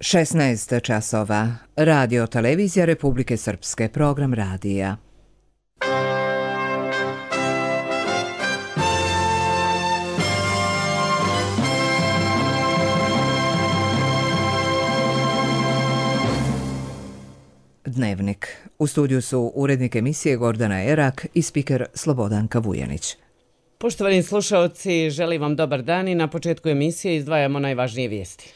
16 časova. Radio Televizija Republike Srpske, program radija. Dnevnik. U studiju su urednik emisije Gordana Erak i spiker Slobodanka Vujanić. Poštovani slušaoci, želim vam dobar dan i na početku emisije izdvajamo najvažnije vijesti.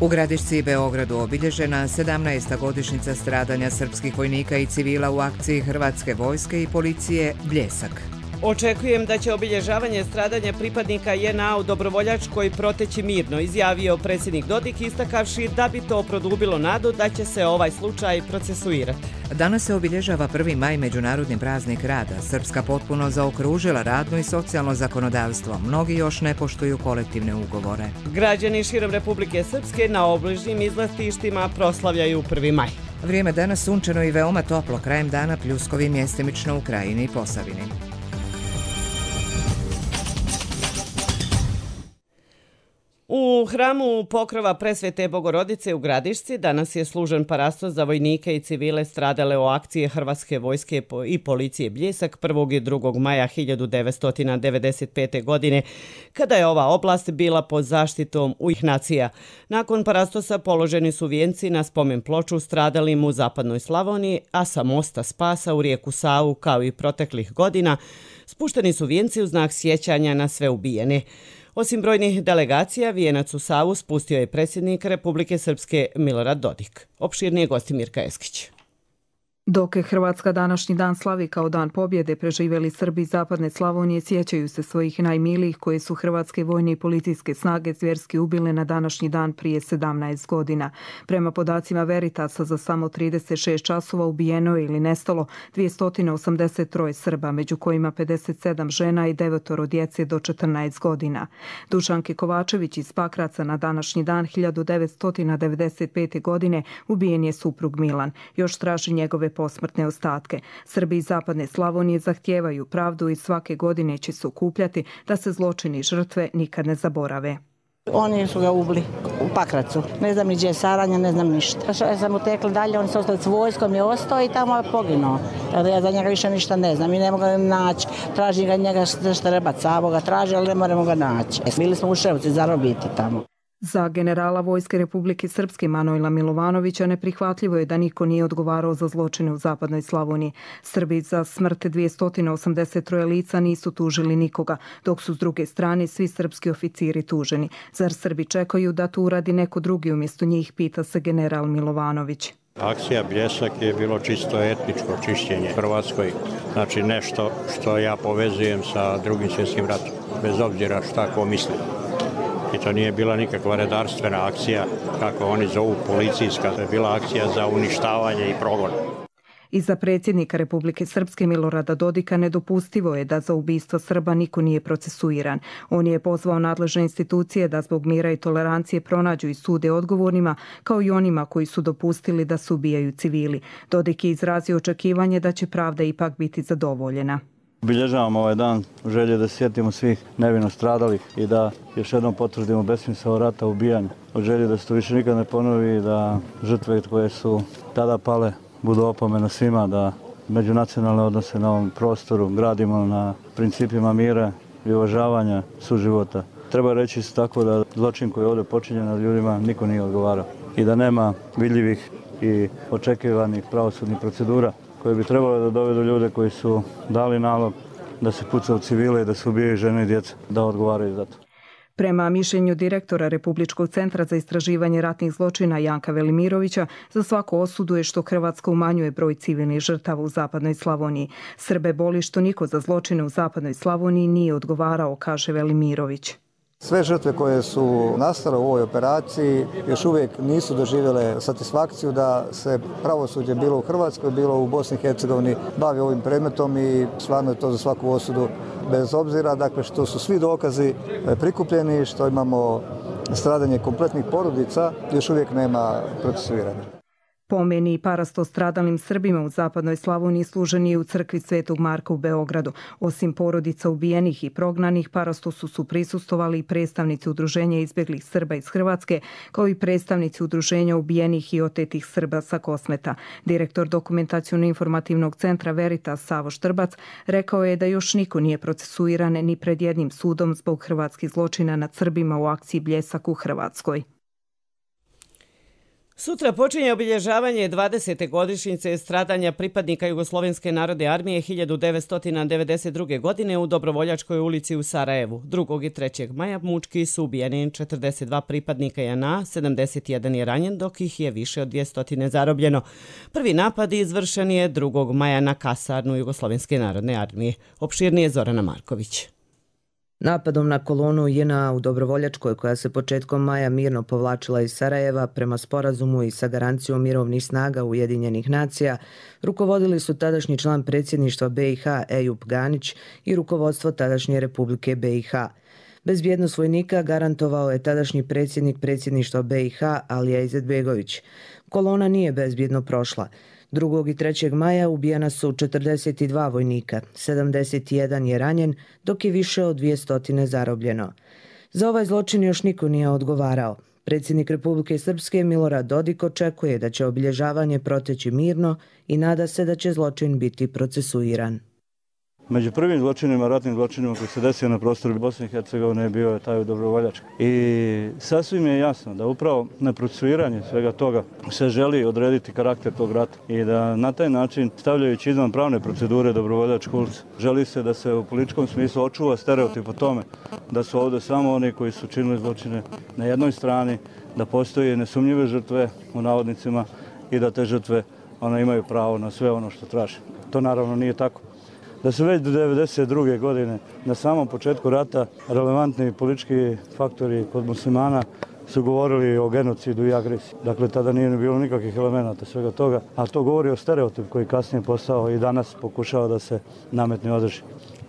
U Gradišci i Beogradu obilježena 17. godišnjica stradanja srpskih vojnika i civila u akciji Hrvatske vojske i policije Bljesak. Očekujem da će obilježavanje stradanja pripadnika JNA u Dobrovoljačkoj proteći mirno, izjavio predsjednik Dodik, istakavši da bi to produbilo nadu da će se ovaj slučaj procesuirati. Danas se obilježava 1. maj, međunarodni praznik rada. Srpska potpuno zaokružila radno i socijalno zakonodavstvo. Mnogi još ne poštuju kolektivne ugovore. Građani širom Republike Srpske na obližnjim izletištima proslavljaju 1. maj. Vrijeme danas sunčano i veoma toplo, krajem dana pljuskovi mjestimično u Krajini i Posavini. U hramu Pokrova Presvete Bogorodice u Gradišci danas je služen parastos za vojnike i civile stradale u akcije Hrvatske vojske i policije Bljesak 1. i 2. maja 1995. godine, kada je ova oblast bila pod zaštitom UN-a. Nakon parastosa položeni su vijenci na spomen ploču stradalim u zapadnoj Slavoniji, a sa mosta Spasa u rijeku Savu, kao i proteklih godina, spušteni su vijenci u znak sjećanja na sve ubijene. Osim brojnih delegacija, vijenac u Savu spustio je predsjednik Republike Srpske Milorad Dodik. Opširnije gosti Mirka Eskić. Dok je Hrvatska današnji dan slavi kao dan pobjede, preživjeli Srbi zapadne Slavonije sjećaju se svojih najmilijih koje su hrvatske vojne i policijske snage zvjerski ubile na današnji dan prije 17 godina. Prema podacima Veritasa, za samo 36 časova ubijeno je ili nestalo 283 Srba, među kojima 57 žena i 9 djece do 14 godina. Dušanke Kovačević iz Pakraca na današnji dan 1995. godine ubijen je suprug Milan. Još traži njegove posmrtne ostatke. Srbi iz zapadne Slavonije zahtijevaju pravdu i svake godine će se okupljati da se zločini žrtve nikad ne zaborave. Oni su ga ubili u Pakracu. Ne znam ni gdje je Saranja, ne znam ništa. Ja sam utekla dalje, oni su ostali s vojskom, je ostao i tamo je poginuo. Ja za njega više ništa ne znam i ne mogu ga naći. Tražim ga njega Štrebac, Savo ga traži, ali ne moramo ga naći. Bili smo u Ševci zarobiti tamo. Za generala Vojske Republike Srpske Manojla Milovanovića neprihvatljivo je da niko nije odgovarao za zločine u zapadnoj Slavoniji. Srbi za smrt 283 lica nisu tužili nikoga, dok su s druge strane svi srpski oficiri tuženi. Zar Srbi čekaju da to uradi neko drugi umjesto njih, pita se general Milovanović. Akcija Bljesak je bilo čisto etničko čišćenje Hrvatskoj, znači nešto što ja povezujem sa Drugim svjetskim ratom, bez obzira šta ko misli. I to nije bila nikakva redarstvena akcija, kako oni zovu policijska, to je bila akcija za uništavanje i progon. I za predsjednika Republike Srpske Milorada Dodika nedopustivo je da za ubistvo Srba niko nije procesuiran. On je pozvao nadležne institucije da zbog mira i tolerancije pronađu i sude odgovornima, kao i onima koji su dopustili da se ubijaju civili. Dodik je izrazio očekivanje da će pravda ipak biti zadovoljena. Obilježavamo ovaj dan u želji da sjetimo svih nevino stradalih i da još jednom potvrdimo besmisao rata, ubijanja. U želji da se to više nikad ne ponovi i da žrtve koje su tada pale budu opomena svima, da međunacionalne odnose na ovom prostoru gradimo na principima mira i uvažavanja suživota. Treba reći isto tako da zločin koji je ovdje počinjen nad ljudima niko nije odgovarao i da nema vidljivih i očekivanih pravosudnih procedura koje bi trebalo da dovedu ljude koji su dali nalog da se puca u civile i da se ubijaju žene i djeca, da odgovaraju za to. Prema mišljenju direktora Republičkog centra za istraživanje ratnih zločina Janka Velimirovića, za svaku osudu je što Hrvatska umanjuje broj civilnih žrtava u zapadnoj Slavoniji. Srbe boli što niko za zločine u zapadnoj Slavoniji nije odgovarao, kaže Velimirović. Sve žrtve koje su nastale u ovoj operaciji još uvijek nisu doživjele satisfakciju da se pravosuđe bilo u Hrvatskoj, bilo u Bosni i Hercegovini bavi ovim predmetom i stvarno je to za svaku osudu bez obzira, dakle što su svi dokazi prikupljeni, što imamo stradanje kompletnih porodica, još uvijek nema procesuiranja. Pomen i parasto stradalim Srbima u zapadnoj Slavoniji služen je u crkvi Svetog Marka u Beogradu. Osim porodica ubijenih i prognanih, parastosu su prisustovali i predstavnici Udruženja izbjeglih Srba iz Hrvatske, kao i predstavnici Udruženja ubijenih i otetih Srba sa Kosmeta. Direktor Dokumentaciono-informativnog centra Veritas Savo Štrbac rekao je da još niko nije procesuiran ni pred jednim sudom zbog hrvatskih zločina nad Srbima u akciji Bljesak u Hrvatskoj. Sutra počinje obilježavanje 20. godišnjice stradanja pripadnika Jugoslovenske narodne armije 1992. godine u Dobrovoljačkoj ulici u Sarajevu. 2. i 3. maja mučki su ubijeni 42 pripadnika JNA, 71 je ranjen, dok ih je više od 200 zarobljeno. Prvi napad izvršen je 2. maja na kasarnu Jugoslovenske narodne armije. Opširnije Zorana Marković. Napadom na kolonu JNA u Dobrovoljačkoj, koja se početkom maja mirno povlačila iz Sarajeva prema sporazumu i sa garancijom mirovnih snaga Ujedinjenih nacija, rukovodili su tadašnji član predsjedništva BiH Ejup Ganić i rukovodstvo tadašnje Republike BiH. Bezbjednost vojnika garantovao je tadašnji predsjednik predsjedništva BiH Alija Izetbegović. Kolona nije bezbjedno prošla. 2. i 3. maja ubijena su 42 vojnika, 71 je ranjen, dok je više od 200 zarobljeno. Za ovaj zločin još niko nije odgovarao. Predsjednik Republike Srpske Milorad Dodik očekuje da će obilježavanje proteći mirno i nada se da će zločin biti procesuiran. Među prvim zločinima, ratnim zločinima koji se desio na prostoru Bosne i Hercegovine bio je taj Dobrovoljački. I sasvim je jasno da upravo na procesuiranje svega toga se želi odrediti karakter tog rata i da na taj način, stavljajući izvan pravne procedure Dobrovoljačku ulicu, želi se da se u političkom smislu očuva stereotip o tome da su ovdje samo oni koji su činili zločine na jednoj strani, da postoje nesumnjive žrtve u navodnicima i da te žrtve imaju pravo na sve ono što traže. To naravno nije tako. Da su već do 1992. godine na samom početku rata relevantni politički faktori kod muslimana su govorili o genocidu i agresiji. Dakle, tada nije bilo nikakvih elemenata svega toga, a to govori o stereotipu koji kasnije postao i danas pokušava da se nametne održi.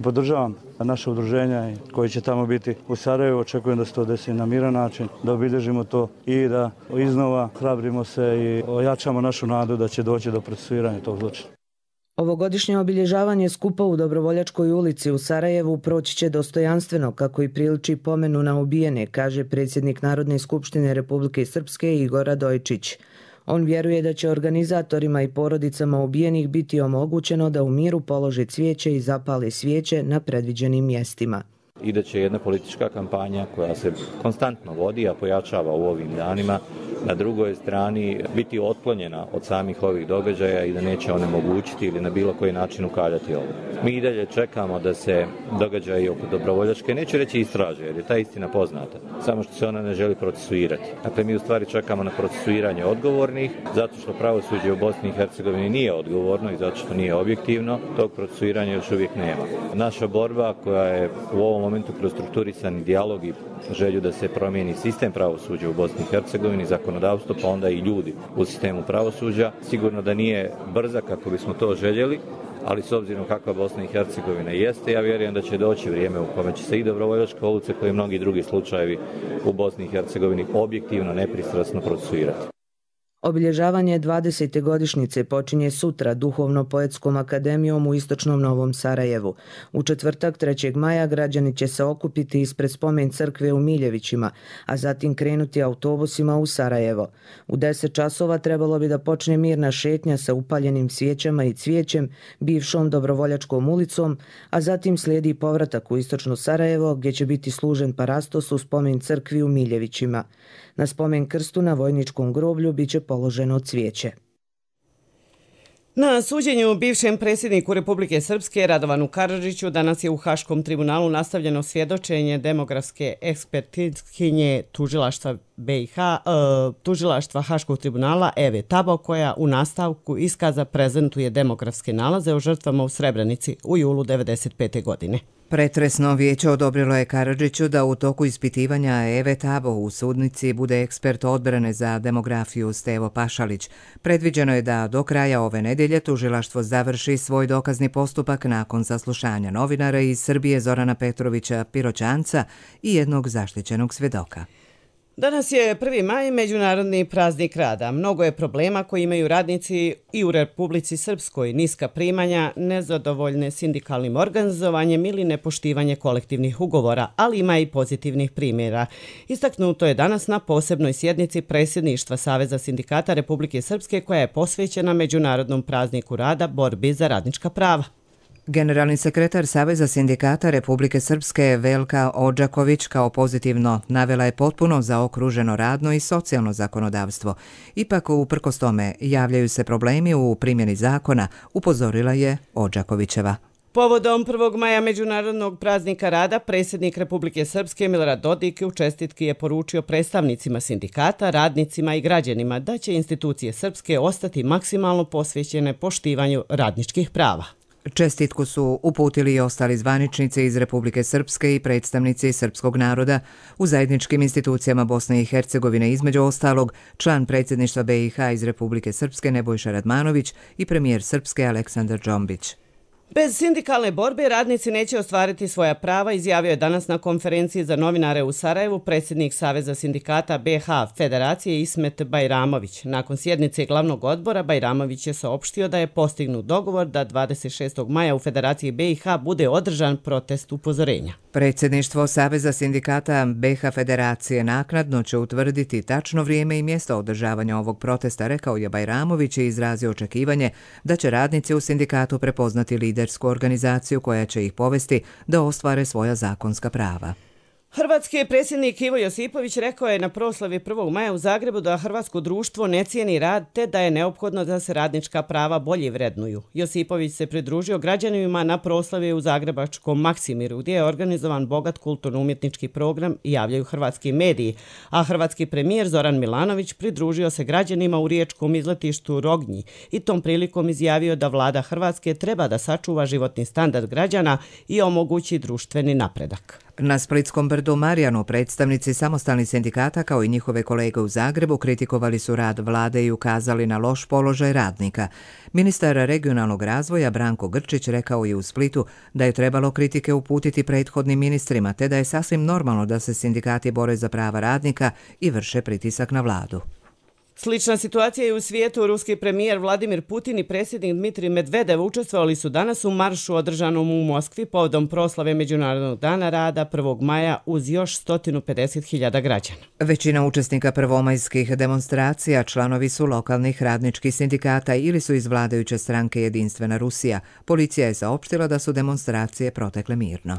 Podržavam naše udruženja koji će tamo biti u Sarajevu. Očekujem da se to desi na miran način, da obilježimo to i da iznova hrabrimo se i ojačamo našu nadu da će doći do procesuiranja tog zločina. Ovogodišnje obilježavanje skupa u Dobrovoljačkoj ulici u Sarajevu proći će dostojanstveno, kako i priliči pomenu na ubijene, kaže predsjednik Narodne skupštine Republike Srpske Igor Radojčić. On vjeruje da će organizatorima i porodicama ubijenih biti omogućeno da u miru polože cvijeće i zapale svijeće na predviđenim mjestima. I da će jedna politička kampanja koja se konstantno vodi, a pojačava u ovim danima, na drugoj strani biti otklonjena od samih ovih događaja i da neće onemogućiti ili na bilo koji način ukaljati ovo. Mi i dalje čekamo da se događaji oko Dobrovoljačke, neću reći istraže, jer je ta istina poznata, samo što se ona ne želi procesuirati. Dakle, mi u stvari čekamo na procesuiranje odgovornih, zato što pravosuđe u Bosni i Hercegovini nije odgovorno i zato što nije objektivno, tog procesuiranja još uvijek nema. Naša borba koja je u ovom momentu kroz strukturisani dijalog i želju da se promijeni sistem pravosuđa u Bosni i Hercegovini, zakonodavstvo, pa onda i ljudi u sistemu pravosuđa, sigurno da nije brza kako bismo to željeli, ali s obzirom kakva Bosna i Hercegovina jeste, ja vjerujem da će doći vrijeme u kome će se i Dobrovoljačka ulica kao i mnogi drugi slučajevi u Bosni i Hercegovini objektivno, nepristrasno procesuirati. Obilježavanje 20. godišnjice počinje sutra Duhovno-poetskom akademijom u istočnom Novom Sarajevu. U četvrtak 3. maja građani će se okupiti ispred spomen crkve u Miljevićima, a zatim krenuti autobusima u Sarajevo. U 10 časova trebalo bi da počne mirna šetnja sa upaljenim svijećama i cvijećem bivšom Dobrovoljačkom ulicom, a zatim slijedi povratak u istočno Sarajevo gdje će biti služen parastos u spomen crkvi u Miljevićima. Na spomen krstu na vojničkom groblju biće položeno cvijeće. Na suđenju bivšem predsjedniku Republike Srpske Radovanu Karadžiću danas je u Haškom tribunalu nastavljeno svjedočenje demografske ekspertkinje tužilaštva BiH, tužilaštva Haškog tribunala Eve Tabo, koja u nastavku iskaza prezentuje demografske nalaze o žrtvama u Srebrenici u julu 1995. godine. Pretresno vijeće odobrilo je Karadžiću da u toku ispitivanja Eve Tabo u sudnici bude ekspert odbrane za demografiju Stevo Pašalić. Predviđeno je da do kraja ove nedelje tužilaštvo završi svoj dokazni postupak nakon saslušanja novinara iz Srbije Zorana Petrovića Piroćanca i jednog zaštićenog svjedoka. Danas je 1. maj, međunarodni praznik rada. Mnogo je problema koji imaju radnici i u Republici Srpskoj, niska primanja, nezadovoljne sindikalnim organizovanjem ili nepoštivanje kolektivnih ugovora, ali ima i pozitivnih primjera. Istaknuto je danas na posebnoj sjednici predsjedništva Saveza sindikata Republike Srpske koja je posvećena Međunarodnom prazniku rada, borbi za radnička prava. Generalni sekretar Saveza sindikata Republike Srpske Velka Odžaković kao pozitivno navela je potpuno zaokruženo radno i socijalno zakonodavstvo. Ipak, uprkos tome, javljaju se problemi u primjeni zakona, upozorila je Odžakovićeva. Povodom 1. maja Međunarodnog praznika rada, predsjednik Republike Srpske Milorad Dodik u čestitki je poručio predstavnicima sindikata, radnicima i građanima da će institucije Srpske ostati maksimalno posvećene poštivanju radničkih prava. Čestitku su uputili i ostali zvaničnici iz Republike Srpske i predstavnici srpskog naroda u zajedničkim institucijama Bosne i Hercegovine, između ostalog član predsjedništva BiH iz Republike Srpske Nebojša Radmanović i premijer Srpske Aleksandar Džombić. Bez sindikalne borbe radnici neće ostvariti svoja prava, izjavio je danas na konferenciji za novinare u Sarajevu predsjednik Saveza sindikata BiH Federacije Ismet Bajramović. Nakon sjednice glavnog odbora Bajramović je saopštio da je postignut dogovor da 26. maja u Federaciji BiH bude održan protest upozorenja. Predsjedništvo Saveza sindikata BiH Federacije naknadno će utvrditi tačno vrijeme i mjesto održavanja ovog protesta, rekao je Bajramović i izrazio očekivanje da će radnici u sindikatu prepoznati lidersku organizaciju koja će ih povesti da ostvare svoja zakonska prava. Hrvatski predsjednik Ivo Josipović rekao je na proslavi 1. maja u Zagrebu da hrvatsko društvo ne cijeni rad te da je neophodno da se radnička prava bolje vrednuju. Josipović se pridružio građanima na proslavi u zagrebačkom Maksimiru gdje je organizovan bogat kulturno-umjetnički program i javljaju hrvatski mediji, a hrvatski premijer Zoran Milanović pridružio se građanima u riječkom izletištu Rognji i tom prilikom izjavio da vlada Hrvatske treba da sačuva životni standard građana i omogući društveni napredak. Na Splitskom brdu Marjanu predstavnici samostalnih sindikata kao i njihove kolege u Zagrebu kritikovali su rad vlade i ukazali na loš položaj radnika. Ministar regionalnog razvoja Branko Grčić rekao je u Splitu da je trebalo kritike uputiti prethodnim ministrima te da je sasvim normalno da se sindikati bore za prava radnika i vrše pritisak na vladu. Slična situacija je u svijetu. Ruski premijer Vladimir Putin i predsjednik Dmitrij Medvedev učestvovali su danas u maršu održanom u Moskvi povodom proslave Međunarodnog dana rada 1. maja uz još 150.000 građana. Većina učesnika prvomajskih demonstracija članovi su lokalnih radničkih sindikata ili su iz vladajuće stranke Jedinstvena Rusija. Policija je saopštila da su demonstracije protekle mirno.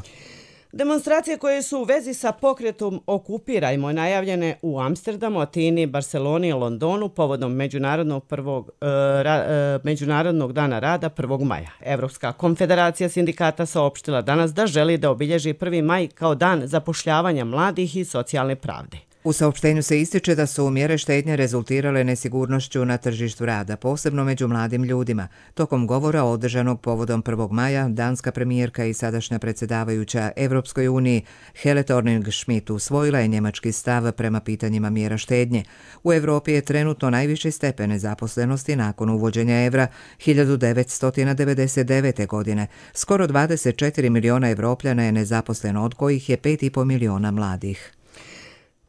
Demonstracije koje su u vezi sa pokretom Okupirajmo najavljene u Amsterdamu, Atini, Barceloni i Londonu povodom Međunarodnog dana rada 1. maja. Evropska konfederacija sindikata saopštila danas da želi da obilježi 1. maj kao dan zapošljavanja mladih i socijalne pravde. U saopštenju se ističe da su mjere štednje rezultirale nesigurnošću na tržištu rada, posebno među mladim ljudima. Tokom govora održanog povodom 1. maja, danska premijerka i sadašnja predsjedavajuća Evropskoj uniji Helle Thorning-Schmidt usvojila je njemački stav prema pitanjima mjera štednje. U Europi je trenutno najviši stepen nezaposlenosti nakon uvođenja evra 1999. godine. Skoro 24 miliona Evropljana je nezaposleno, od kojih je 5,5 miliona mladih.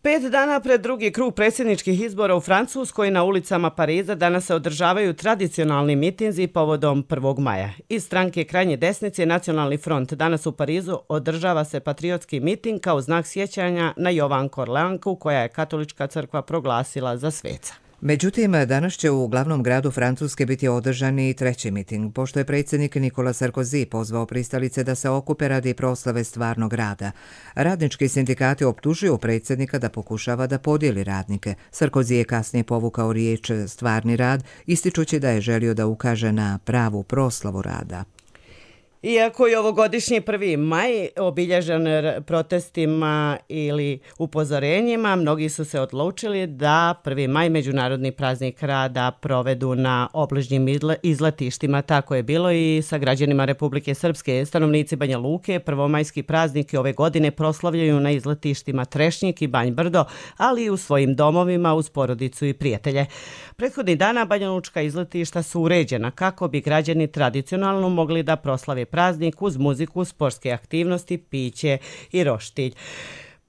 5 dana pred drugi krug predsjedničkih izbora u Francuskoj na ulicama Pariza danas se održavaju tradicionalni mitinzi povodom 1. maja. Iz stranke krajnje desnice Nacionalni front danas u Parizu održava se patriotski miting kao znak sjećanja na Jovanku Orleanku koja je katolička crkva proglasila za sveca. Međutim, danas će u glavnom gradu Francuske biti održan i treći miting, pošto je predsjednik Nicolas Sarkozy pozvao pristalice da se okupe radi proslave stvarnog rada. Radnički sindikati optužuju predsjednika da pokušava da podijeli radnike. Sarkozy je kasnije povukao riječ stvarni rad, ističući da je želio da ukaže na pravu proslavu rada. Iako je ovogodišnji 1. maj obilježen protestima ili upozorenjima, mnogi su se odlučili da 1. maj, međunarodni praznik rada, provedu na obližnjim izletištima. Tako je bilo i sa građanima Republike Srpske. Stanovnici Banja Luke prvomajski praznik ove godine proslavljaju na izletištima Trešnjik i Banj Brdo, ali i u svojim domovima uz porodicu i prijatelje. Prethodnih dana banjalučka izletišta su uređena kako bi građani tradicionalno mogli da proslave praznik uz muziku, sportske aktivnosti, piće i roštilj.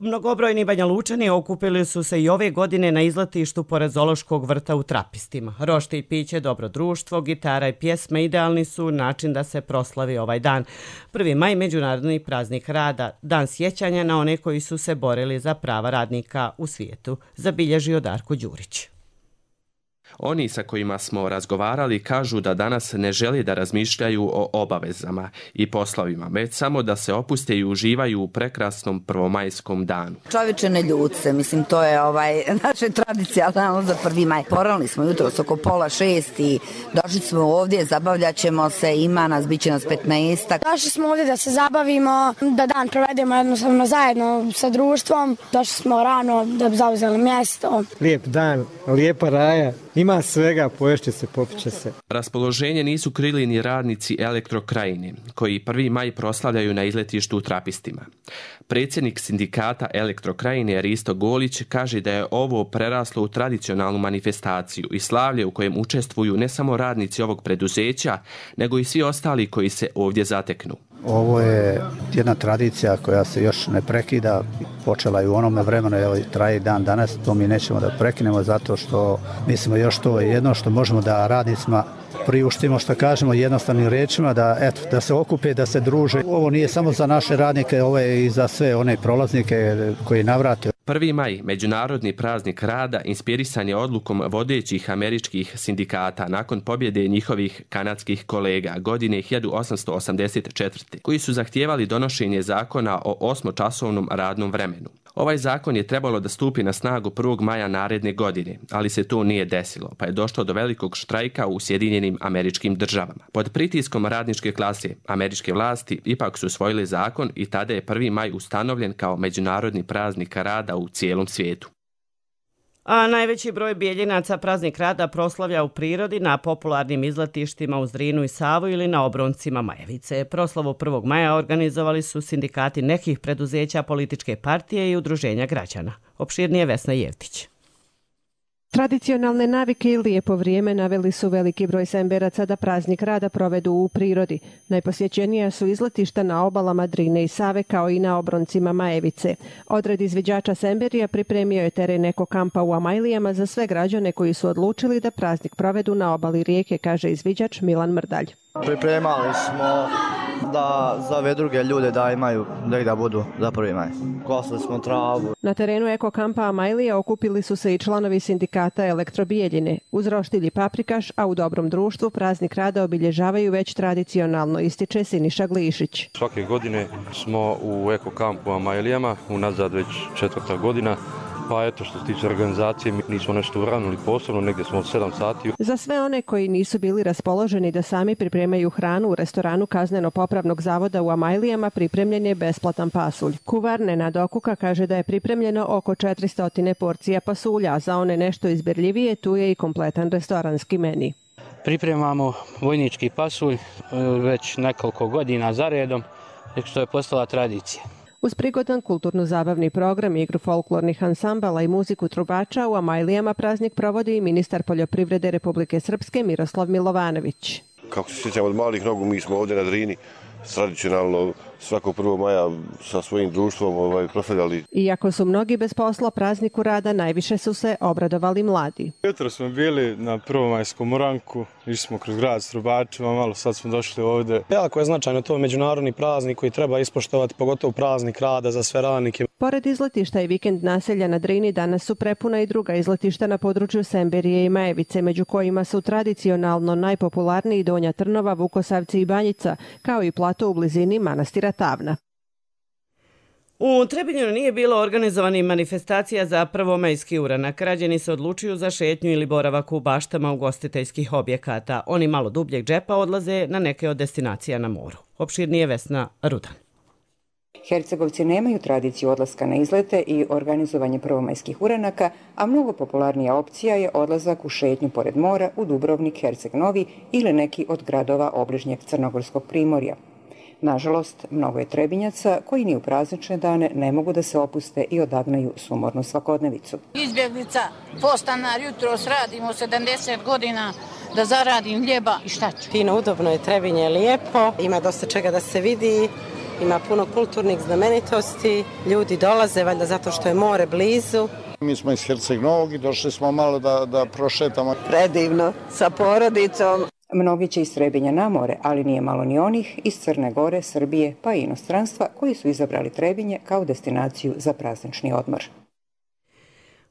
Mnogobrojni Banja Lučani okupili su se i ove godine na izletištu pored zoološkog vrta u Trapistima. Rošte i piće, dobro društvo, gitara i pjesme idealni su način da se proslavi ovaj dan. 1. maj, međunarodni praznik rada, dan sjećanja na one koji su se borili za prava radnika u svijetu, zabilježio Darko Đurić. Oni sa kojima smo razgovarali kažu da danas ne žele da razmišljaju o obavezama i poslovima, već samo da se opuste i uživaju u prekrasnom prvomajskom danu. Čovječe, ne ljut se, mislim, to je naše tradicionalno za 1. maj. Porali smo jutros oko 5:30 i došli smo ovdje, zabavljat ćemo se, ima nas, bit će nas 15. Došli smo ovdje da se zabavimo, da dan provedemo jednostavno zajedno sa društvom. Došli smo rano da bi zauzeli mjesto. Lijep dan, lijepa raja. Ima svega, poješće se, popiće se. Raspoloženje nisu krili ni radnici Elektrokrajine, koji 1. maj proslavljaju na izletištu u Trapistima. Predsjednik sindikata Elektrokrajine Risto Golić kaže da je ovo preraslo u tradicionalnu manifestaciju i slavlje u kojem učestvuju ne samo radnici ovog preduzeća, nego i svi ostali koji se ovdje zateknu. Ovo je jedna tradicija koja se još ne prekida, počela je u onome vremenu, evo traje dan danas, to mi nećemo da prekinemo zato što mislimo još to je jedno što možemo da radnicima priuštimo, što kažemo jednostavnim riječima, da se okupe, da se druže. Ovo nije samo za naše radnike, ovo je i za sve one prolaznike koji navrate. 1. maj, međunarodni praznik rada, inspirisan je odlukom vodećih američkih sindikata nakon pobjede njihovih kanadskih kolega godine 1884. koji su zahtijevali donošenje zakona o 8-časovnom radnom vremenu. Ovaj zakon je trebalo da stupi na snagu 1. maja naredne godine, ali se to nije desilo, pa je došlo do velikog štrajka u Sjedinjenim Američkim Državama. Pod pritiskom radničke klase, američke vlasti ipak su usvojili zakon i tada je 1. maj ustanovljen kao međunarodni praznik rada u cijelom svijetu. A najveći broj Bijeljinaca praznik rada proslavlja u prirodi na popularnim izletištima uz Drinu i Savu ili na obroncima Majevice. Proslavu 1. maja organizovali su sindikati nekih preduzeća, političke partije i udruženja građana. Opširnije Vesna Jevtić. Tradicionalne navike i lijepo vrijeme naveli su veliki broj Semberaca da praznik rada provedu u prirodi. Najposjećenija su izletišta na obalama Drine i Save kao i na obroncima Majevice. Odred izviđača Semberija pripremio je teren eko kampa u Amajlijama za sve građane koji su odlučili da praznik provedu na obali rijeke, kaže izviđač Milan Mrdalj. Pripremali smo da za ove druge ljude da imaju da budu za 1. maj. Kosili smo travu. Na terenu eko kampa Amajlija okupili su se i članovi sindikata Elektrobijeljine. Uz roštilj i paprikaš, a u dobrom društvu praznik rada obilježavaju već tradicionalno, ističe Siniša Glišić. Svake godine smo u eko kampu Amajlijama, unazad već 4. godina. Pa eto, što se tiče organizacije, mi nismo nešto uranili posebno, negdje smo od 7 sati. Za sve one koji nisu bili raspoloženi da sami pripremaju hranu u restoranu Kazneno-popravnog zavoda u Amajlijama pripremljen je besplatan pasulj. Kuvar Nenad Okuka kaže da je pripremljeno oko 400 porcija pasulja, a za one nešto izbirljivije tu je i kompletan restoranski meni. Pripremamo vojnički pasulj već nekoliko godina za redom, što je postala tradicija. Uz prigodan kulturno-zabavni program, igru folklornih ansambala i muziku trubača u Amajlijama praznik provodi i ministar poljoprivrede Republike Srpske Miroslav Milovanović. Kako se sjećamo od malih nogu, mi smo ovdje na Drini tradicionalno svakog 1. maja sa svojim društvom proslavljali. Iako su mnogi bez posla, prazniku rada najviše su se obradovali mladi. Jutro smo bili na prvomajskom uranku, išli smo kroz grad s trubačima, malo sad smo došli ovdje. Jako je značajno to međunarodni praznik koji treba ispoštovati, pogotovo praznik rada za sve radnike. Pored izletišta i vikend naselja na Drini danas su prepuna i druga izletišta na području Semberije i Majevice, među kojima su tradicionalno najpopularniji Donja Trnova, Vukosavci i Banjica, kao i plato u blizini manastira Tavna. U Trebinju nije bilo organizovanih manifestacija za prvomajski uranak. Građani se odlučuju za šetnju ili boravak u baštama ugostiteljskih objekata. Oni malo dubljeg džepa odlaze na neke od destinacija na moru. Opširnije Vesna Rudan. Hercegovci nemaju tradiciju odlaska na izlete i organizovanje prvomajskih uranaka, a mnogo popularnija opcija je odlazak u šetnju pored mora u Dubrovnik, Herceg Novi ili neki od gradova obližnjeg Crnogorskog primorja. Nažalost, mnogo je Trebinjaca koji ni u praznične dane ne mogu da se opuste i odagnaju sumornu svakodnevicu. Izbjeglica, postanar, jutros radimo 70 godina da zaradim hljeba i šta ću. Fino, udobno je, Trebinje je lijepo, ima dosta čega da se vidi ima puno kulturnih znamenitosti, ljudi dolaze valjda zato što je more blizu. Mi smo iz Herceg Novog i došli smo malo da prošetamo. Predivno, sa porodicom. Mnogi će iz Trebinja na more, ali nije malo ni onih iz Crne Gore, Srbije pa i inostranstva koji su izabrali Trebinje kao destinaciju za praznični odmor.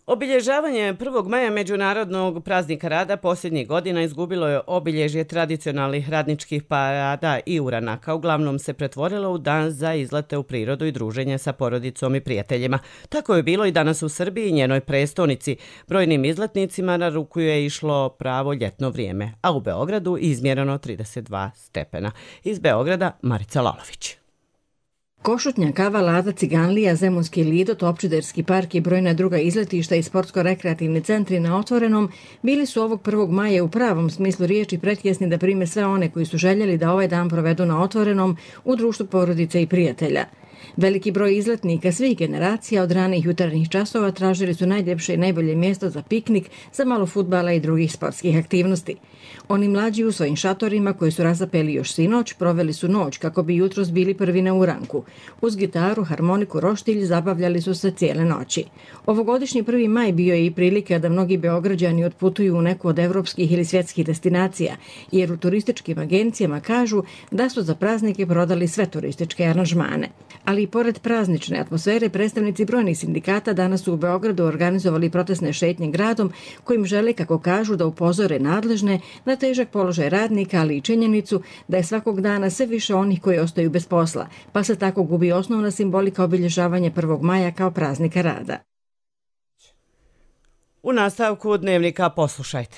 Obilježavanje 1. maja Međunarodnog praznika rada posljednjih godina izgubilo je obilježje tradicionalnih radničkih parada i uranaka. Uglavnom se pretvorilo u dan za izlete u prirodu i druženje sa porodicom i prijateljima. Tako je bilo i danas u Srbiji, njenoj prestonici. Brojnim izletnicima na ruku je išlo pravo ljetno vrijeme, a u Beogradu izmjereno 32 stepena. Iz Beograda Marica Lalović. Košutnja, Kava, Lada, Ciganlija, Zemunski Lido, Topčiderski park i brojna druga izletišta i sportsko-rekreativni centri na otvorenom bili su ovog 1. maja u pravom smislu riječi pretjesni da prime sve one koji su željeli da ovaj dan provedu na otvorenom u društvu porodice i prijatelja. Veliki broj izletnika svih generacija od ranih jutarnjih časova tražili su najljepše i najbolje mjesto za piknik, za malo fudbala i drugih sportskih aktivnosti. Oni mlađi u svojim šatorima koji su razapeli još sinoć proveli su noć kako bi jutros bili prvi na uranku. Uz gitaru, harmoniku, roštilj zabavljali su se cijele noći. Ovogodišnji 1. maj bio je i prilika da mnogi Beograđani otputuju u neku od evropskih ili svjetskih destinacija, jer u turističkim agencijama kažu da su za praznike prodali sve turističke aranžmane. Ali i pored praznične atmosfere, predstavnici brojnih sindikata danas su u Beogradu organizovali protestne šetnje gradom kojim žele, kako kažu, da upozore nadležne na težak položaj radnika, ali i činjenicu da je svakog dana sve više onih koji ostaju bez posla, pa se tako gubi osnovna simbolika obilježavanja 1. maja kao praznika rada. U nastavku dnevnika poslušajte.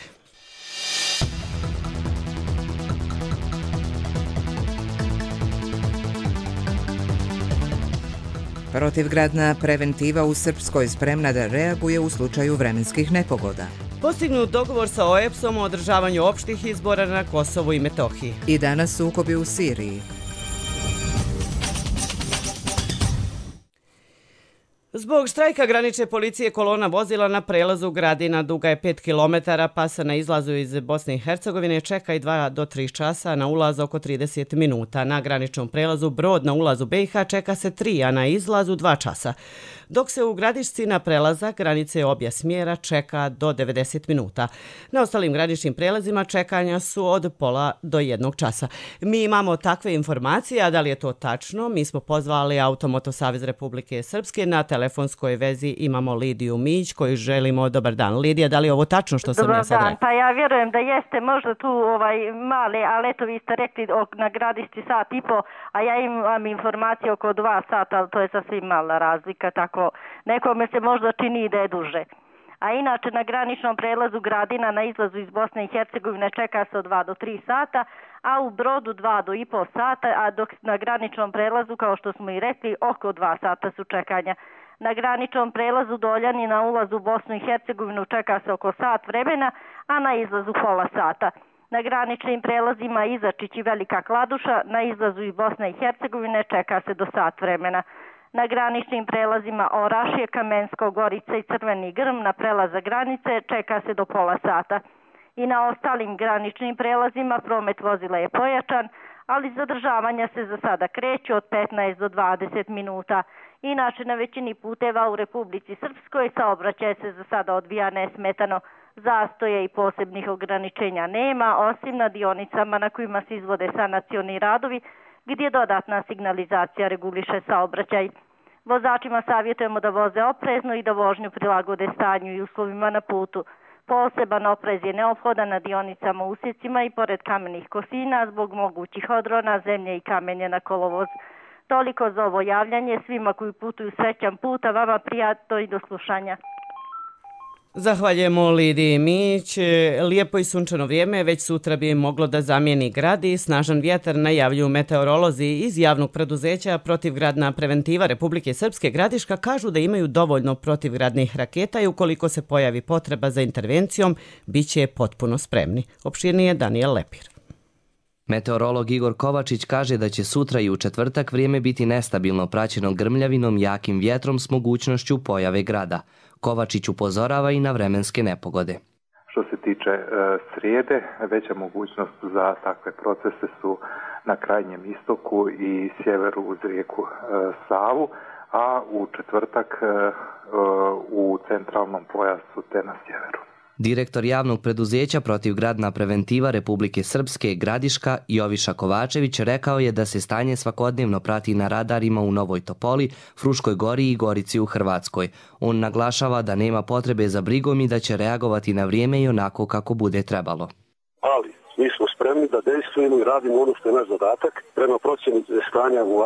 Protivgradna preventiva u Srpskoj spremna da reaguje u slučaju vremenskih nepogoda. Postignut dogovor sa OEBS-om o održavanju opštih izbora na Kosovu i Metohiji. I danas sukobi u Siriji. Zbog štrajka granične policije kolona vozila na prelazu Gradina duga je 5 km, pa se na izlazu iz Bosne i Hercegovine čeka i 2 do 3 časa, na ulaz oko 30 minuta. Na graničnom prelazu Brod na ulazu BiH čeka se 3, a na izlazu 2 časa. Dok se u Gradišci na prelazak granice obje smjera čeka do 90 minuta. Na ostalim graničnim prelazima čekanja su od pola do 1 časa. Mi imamo takve informacije, a da li je to tačno? Mi smo pozvali Automoto Savez Republike Srpske. Na telefonskoj vezi imamo Lidiju Mić koju želimo dobar dan. Lidija, da li je ovo tačno što sam ja sad rekla? Pa ja vjerujem da jeste možda tu male, ali eto vi ste rekli na Gradišci 1,5 sata, a ja imam informacije oko 2 sata, ali to je sasvim mala razlika, tako nekome se možda čini da je duže. A inače na graničnom prelazu Gradina na izlazu iz Bosne i Hercegovine čeka se od 2 do 3 sata, a u Brodu 2 do 1,5 sata, a dok na graničnom prelazu, kao što smo i rekli, oko 2 sata su čekanja. Na graničnom prelazu Doljani na ulazu u Bosnu i Hercegovinu čeka se oko sat vremena, a na izlazu pola sata. Na graničnim prelazima Izačić i Velika Kladuša na izlazu iz Bosne i Hercegovine čeka se do sat vremena. Na graničnim prelazima Orašje, Kamensko, Gorica i Crveni Grm na prelaza granice čeka se do pola sata. I na ostalim graničnim prelazima promet vozila je pojačan, ali zadržavanja se za sada kreću od 15 do 20 minuta. Inače, na većini puteva u Republici Srpskoj saobraćaj se za sada odvija nesmetano. Zastoje i posebnih ograničenja nema, osim na dionicama na kojima se izvode sanacioni radovi, gdje dodatna signalizacija reguliše saobraćaj. Vozačima savjetujemo da voze oprezno i da vožnju prilagode stanju i uslovima na putu. Poseban oprez je neophodan na dionicama, usjecima i pored kamenih kosina zbog mogućih odrona, zemlje i kamenje na kolovoz. Toliko za ovo javljanje, svima koji putuju srećan put, a vama prijatno i do slušanja. Zahvaljujemo Lidiji Mić. Lijepo i sunčano vrijeme već sutra bi moglo da zamijeni grad i snažan vjetar najavljuju meteorolozi iz javnog preduzeća Protivgradna preventiva Republike Srpske Gradiška kažu da imaju dovoljno protivgradnih raketa i ukoliko se pojavi potreba za intervencijom, bit će potpuno spremni. Opširnije Daniel Lepir. Meteorolog Igor Kovačić kaže da će sutra i u četvrtak vrijeme biti nestabilno praćeno grmljavinom, jakim vjetrom s mogućnošću pojave grada. Kovačić upozorava i na vremenske nepogode. Što se tiče srijede, veća mogućnost za takve procese su na krajnjem istoku i sjeveru uz rijeku Savu, a u četvrtak u centralnom pojasu te na sjeveru. Direktor javnog preduzeća Protivgradna preventiva Republike Srpske Gradiška Joviša Kovačević rekao je da se stanje svakodnevno prati na radarima u Novoj Topoli, Fruškoj Gori i Gorici u Hrvatskoj. On naglašava da nema potrebe za brigom i da će reagovati na vrijeme i onako kako bude trebalo. Ali mi smo spremni da dejstvujemo i radimo ono što je naš zadatak. Prema procjeni stanja u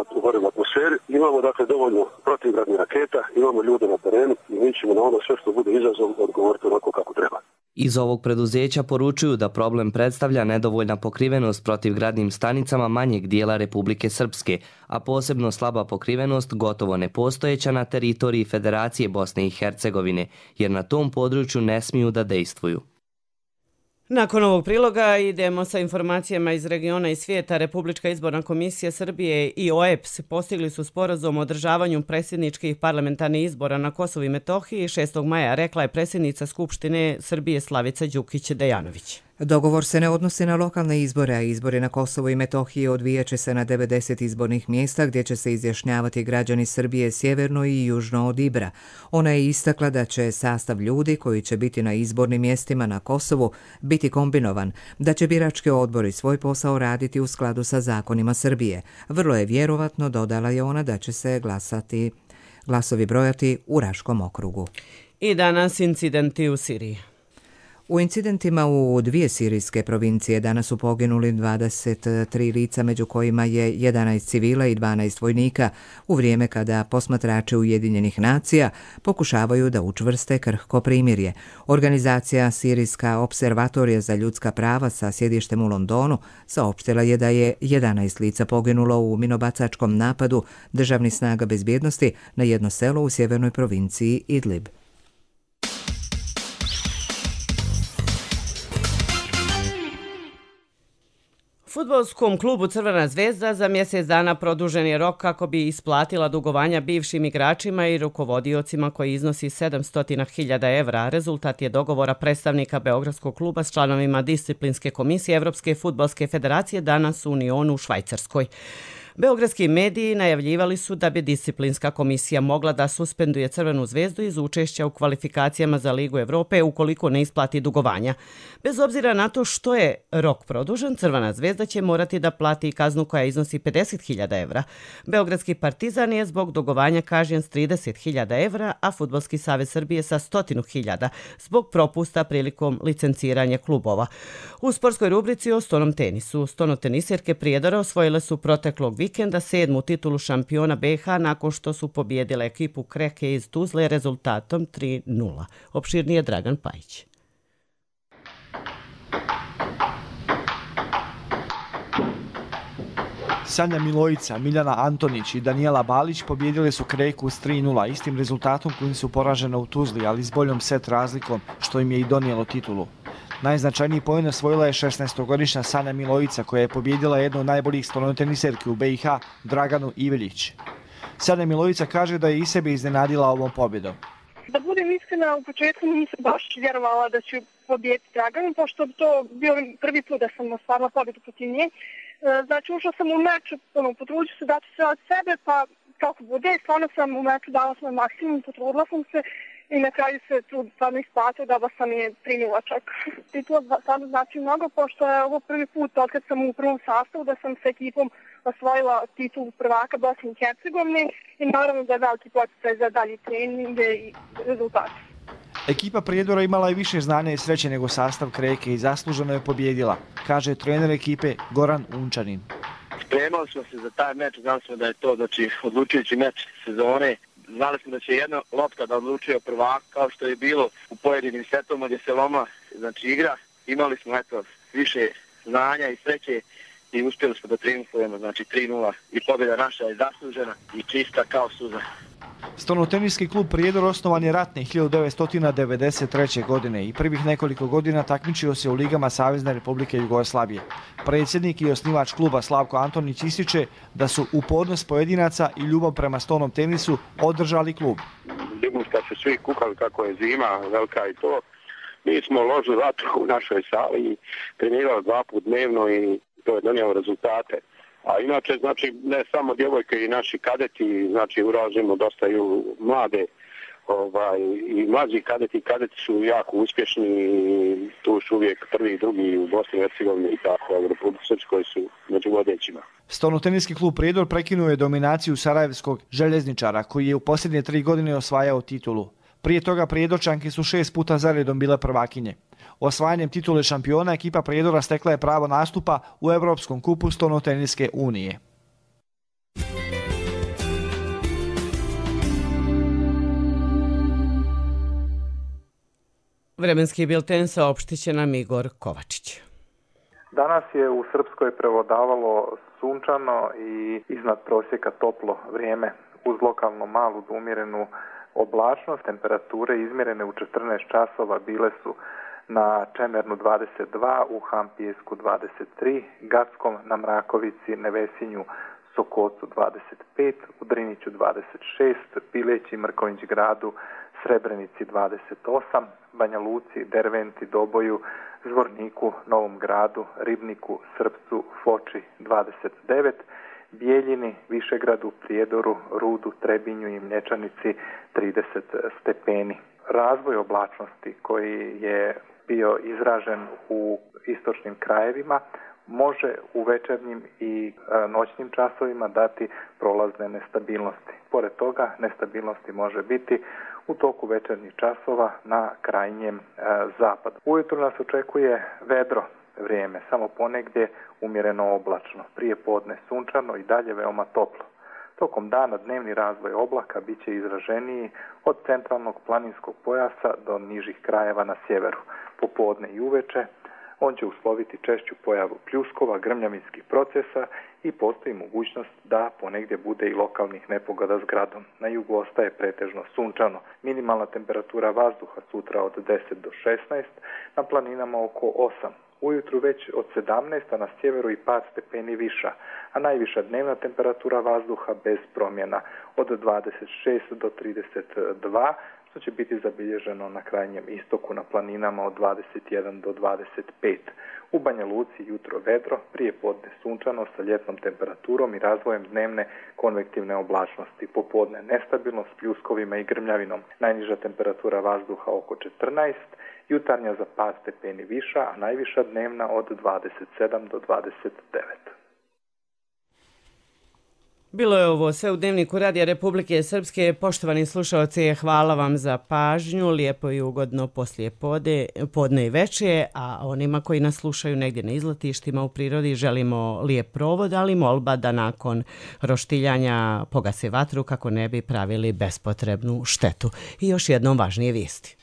atmosferi imamo dakle dovoljno protivgradnih raketa, imamo ljude na terenu i mi ćemo na ono sve što bude izazov odgovoriti onako kako treba. Iz ovog preduzeća poručuju da problem predstavlja nedovoljna pokrivenost protivgradnim stanicama manjeg dijela Republike Srpske, a posebno slaba pokrivenost gotovo nepostojeća na teritoriji Federacije Bosne i Hercegovine, jer na tom području ne smiju da dejstvuju. Nakon ovog priloga idemo sa informacijama iz regiona i svijeta. Republička izborna komisija Srbije i OEBS postigli su sporazum o održavanju predsjedničkih parlamentarnih izbora na Kosovu i Metohiji 6. maja, rekla je predsjednica Skupštine Srbije Slavica Đukić-Dejanović. Dogovor se ne odnosi na lokalne izbore, a izbori na Kosovu i Metohiji odvijaće se na 90 izbornih mjesta gdje će se izjašnjavati građani Srbije sjeverno i južno od Ibra. Ona je istakla da će sastav ljudi koji će biti na izbornim mjestima na Kosovu biti kombinovan, da će birački odbori svoj posao raditi u skladu sa zakonima Srbije. Vrlo je vjerovatno, dodala je ona, da će se glasovi brojati u Raškom okrugu. I danas incidenti u Siriji. U incidentima u 2 sirijske provincije danas su poginuli 23 lica, među kojima je 11 civila i 12 vojnika, u vrijeme kada posmatrači Ujedinjenih nacija pokušavaju da učvrste krhko primirje. Organizacija Sirijska observatorija za ljudska prava sa sjedištem u Londonu saopštila je da je 11 lica poginulo u minobacačkom napadu državnih snaga bezbjednosti na jedno selo u sjevernoj provinciji Idlib. Fudbalskom klubu Crvena zvezda za mjesec dana produžen je rok kako bi isplatila dugovanja bivšim igračima i rukovodiocima koji iznosi 700.000 evra. Rezultat je dogovora predstavnika Beogradskog kluba s članovima disciplinske komisije Evropske fudbalske federacije danas u Unionu u Švajcarskoj. Beogradski mediji najavljivali su da bi disciplinska komisija mogla da suspenduje Crvenu zvezdu iz učešća u kvalifikacijama za Ligu Evrope ukoliko ne isplati dugovanja. Bez obzira na to što je rok produžen, Crvena zvezda će morati da plati kaznu koja iznosi 50.000 evra. Beogradski Partizan je zbog dugovanja kažnjen s 30.000 evra, a Fudbalski savez Srbije sa 100.000 zbog propusta prilikom licenciranja klubova. U sportskoj rubrici o stonom tenisu. Stonoteniserke Prijedora osvojile su proteklog vikenda 7. titulu šampiona BiH nakon što su pobijedile ekipu Kreke iz Tuzle rezultatom 3:0. Opširnije Dragan Pajić. Sanja Milojica, Miljana Antonić i Danijela Balić pobijedile su Kreku s 3:0, istim rezultatom kojim su poražene u Tuzli, ali s boljom set razlikom, što im je i donijelo titulu. Najznačajniji poen osvojila je 16-godišnja Sanja Milojica, koja je pobijedila jednu od najboljih stonoteniserki u BiH, Draganu Iveljić. Sanja Milojica kaže da je i sebe iznenadila ovom pobjedom. Da budem iskrena, u početku nisam baš vjerovala da ću pobijediti Draganu, pošto bi to bio prvi put da sam ostvarila pobjedu protiv nje. Znači, ušla sam u meč, potrudila se dati sve od sebe, pa kako bude, stvarno sam u meču dala svoj maksimum, potrudila sam se i na kraju se trud stvarno isplatio, dala sam je 3:0 čak. Titula stvarno znači mnogo, pošto je ovo prvi put od kad sam u prvom sastavu da sam s ekipom osvojila titulu prvaka Bosne i Hercegovine i naravno da je veliki poticaj za dalji trening i rezultate. Ekipa Prijedora imala je više znanja i sreće nego sastav Kreke i zasluženo je pobjedila, kaže trener ekipe Goran Unčanin. Spremali smo se za taj meč, znali smo da je to odlučujući meč sezone. Znali smo da će jedna lopta da odlučuje prvak, kao što je bilo u pojedinim setovima gdje se loma igra. Imali smo više znanja i sreće i uspjeli smo da triumfujemo, 3:0 i pobjeda naša je zaslužena i čista kao suza. Stonoteniski klub Prijedor osnovan je ratne 1993. godine i prvih nekoliko godina takmičio se u ligama Savezne Republike Jugoslavije. Predsjednik i osnivač kluba Slavko Antonić ističe da su upornost pojedinaca i ljubav prema stonom tenisu održali klub. Kad su svi kukali kako je zima, velika i to, Mi smo ložili vatru u našoj sali i trenirali 2 puta dnevno i to je donijelo rezultate. A inače, znači, ne samo djevojke i naši kadeti, znači, uražimo dosta i mlade i mlađi kadeti su jako uspješni i tu su uvijek prvi i drugi u Bosni i Hercegovini i tako, u Republici Srpskoj su među vodećima. Stolnoteniski klub Prijedor prekinuo je dominaciju sarajevskog željezničara koji je u posljednje 3 godine osvajao titulu. Prije toga Prijedorčanke su 6 puta zaredom bile prvakinje. Osvajanjem titule šampiona ekipa Prijedora stekla je pravo nastupa u Evropskom kupu Stolnoteniske unije. Vremenski bilten saopštit će nam Igor Kovačić. Danas je u Srpskoj prevladavalo sunčano i iznad prosjeka toplo vrijeme uz lokalno malu do umjerenu oblačnost. Temperature izmjerene u 14 časova bile su na Čemernu 22, u Hampijesku 23, Gackom, na Mrakovici, Nevesinju, Sokocu 25, u Driniću 26, Pileći, Mrkonjić gradu, Srebrenici 28, Banja Luci, Derventi, Doboju, Zvorniku, Novom gradu, Ribniku, Srpcu, Foči 29, Bijeljini, Višegradu, Prijedoru, Rudu, Trebinju i Mlječanici 30 stepeni. Razvoj oblačnosti koji je bio izražen u istočnim krajevima može u večernjim i noćnim časovima dati prolazne nestabilnosti. Pored toga, nestabilnosti može biti u toku večernjih časova na krajnjem zapadu. Ujutru nas očekuje vedro vrijeme, samo ponegdje umjereno oblačno, prije podne sunčano i dalje veoma toplo. Tokom dana dnevni razvoj oblaka bit će izraženiji od centralnog planinskog pojasa do nižih krajeva na sjeveru. Popodne i uveče on će usloviti češću pojavu pljuskova, grmljavinskih procesa i postoji mogućnost da ponegdje bude i lokalnih nepogoda s gradom. Na jugu ostaje pretežno sunčano. Minimalna temperatura vazduha sutra od 10 do 16, na planinama oko 8. Ujutru već od 17, a na sjeveru i par stepeni viša, a najviša dnevna temperatura vazduha bez promjena od 26 do 32, što će biti zabilježeno na krajnjem istoku na planinama od 21 do 25. U Banja Luci jutro vedro, prije podne sunčano sa ljetnom temperaturom i razvojem dnevne konvektivne oblačnosti. Popodne nestabilno s pljuskovima i grmljavinom. Najniža temperatura vazduha oko 14, jutarnja za par stepeni viša, a najviša dnevna od 27 do 29. Bilo je ovo sve u Dnevniku Radija Republike Srpske. Poštovani slušalci, hvala vam za pažnju, lijepo i ugodno poslije podne i veče, a onima koji nas slušaju negdje na izletištima u prirodi želimo lijep provod, ali molba da nakon roštiljanja pogase vatru kako ne bi pravili bespotrebnu štetu. I još jednom važnije vijesti.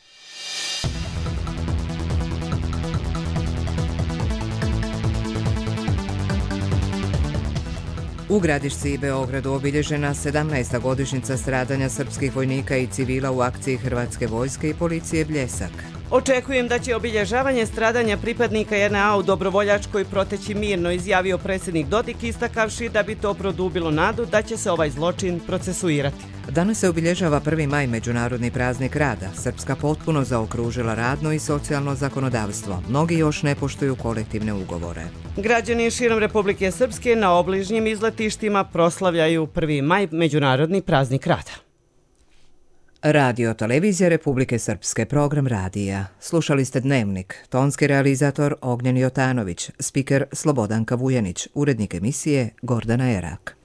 U Gradišci i Beogradu obilježena 17. godišnjica stradanja srpskih vojnika i civila u akciji Hrvatske vojske i policije Bljesak. Očekujem da će obilježavanje stradanja pripadnika JNA u Dobrovoljačkoj proteći mirno, izjavio predsjednik Dodik, istakavši da bi to produbilo nadu da će se ovaj zločin procesuirati. Danas se obilježava 1. maj, Međunarodni praznik rada. Srpska potpuno zaokružila radno i socijalno zakonodavstvo. Mnogi još ne poštuju kolektivne ugovore. Građani širom Republike Srpske na obližnjim izletištima proslavljaju 1. maj, Međunarodni praznik rada. Radio Televizija Republike Srpske, program radija. Slušali ste Dnevnik, tonski realizator Ognjen Jotanović, spiker Slobodanka Vujanić, urednik emisije Gordana Erak.